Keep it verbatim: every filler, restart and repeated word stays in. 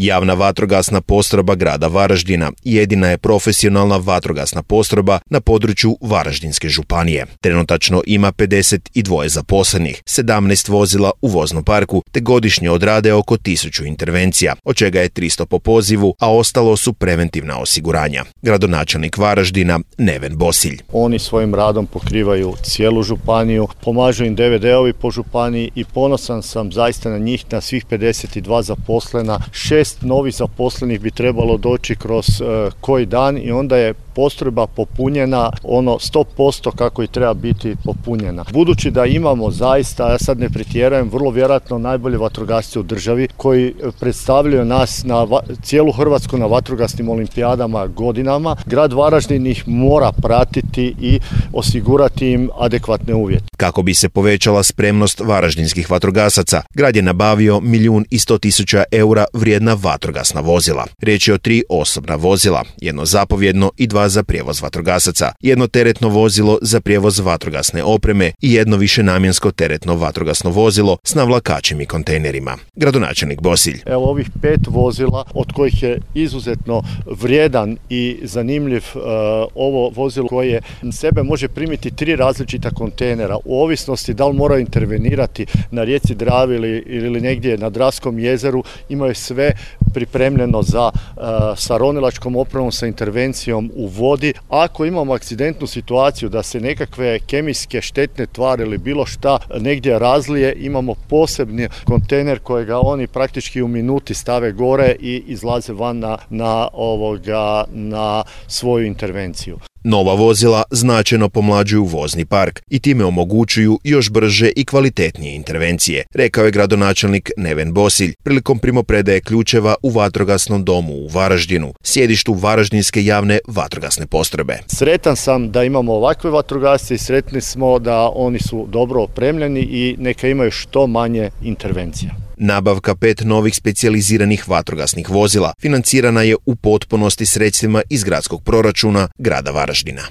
Javna vatrogasna postrojba grada Varaždina jedina je profesionalna vatrogasna postrojba na području Varaždinske županije. Trenutačno ima pedeset dva zaposlenih, sedamnaest vozila u voznom parku te godišnje odrade oko tisuću intervencija, od čega je tristo po pozivu, a ostalo su preventivna osiguranja. Gradonačelnik Varaždina Neven Bosilj. Oni svojim radom pokrivaju cijelu županiju, pomažu im D V D-ovi po županiji i ponosan sam zaista na njih, na svih pedeset dva zaposlena. Šest novih zaposlenih bi trebalo doći kroz uh, koji dan i onda je postrojba popunjena ono sto posto kako i treba biti popunjena. Budući da imamo zaista, ja sad ne pretjeravam, vrlo vjerojatno najbolje vatrogasce u državi koji predstavljaju nas na va- cijelu Hrvatsku na vatrogasnim olimpijadama godinama, grad Varaždin ih mora pratiti i osigurati im adekvatne uvjete. Kako bi se povećala spremnost varaždinskih vatrogasaca, grad je nabavio milijun i sto tisuća eura vrijedna vatrogasna vozila. Riječ je o tri osobna vozila, jedno zapovjedno i dva za prijevoz vatrogasaca, jedno teretno vozilo za prijevoz vatrogasne opreme i jedno višenamjensko teretno vatrogasno vozilo s navlakačim i kontejnerima. Gradonačelnik Bosilj. Evo ovih pet vozila, od kojih je izuzetno vrijedan i zanimljiv uh, ovo vozilo koje sebe može primiti tri različita kontejnera, u ovisnosti da li moraju intervenirati na rijeci Dravi ili, ili negdje na Dravskom jezeru, imaju sve pripremljeno za uh, sa ronilačkom opremom, sa intervencijom u vodi. Ako imamo akcidentnu situaciju da se nekakve kemijske štetne tvari ili bilo šta negdje razlije, imamo posebni kontejner kojega oni praktički u minuti stave gore i izlaze van na, na, ovoga, na svoju intervenciju. Nova vozila značajno pomlađuju vozni park i time omogućuju još brže i kvalitetnije intervencije, rekao je gradonačelnik Neven Bosilj prilikom primopredaje ključeva u vatrogasnom domu u Varaždinu, sjedištu Varaždinske javne vatrogasne postrojbe. Sretan sam da imamo ovakve vatrogasce i sretni smo da oni su dobro opremljeni i neka imaju što manje intervencija. Nabavka pet novih specijaliziranih vatrogasnih vozila financirana je u potpunosti sredstvima iz gradskog proračuna grada Varaždina.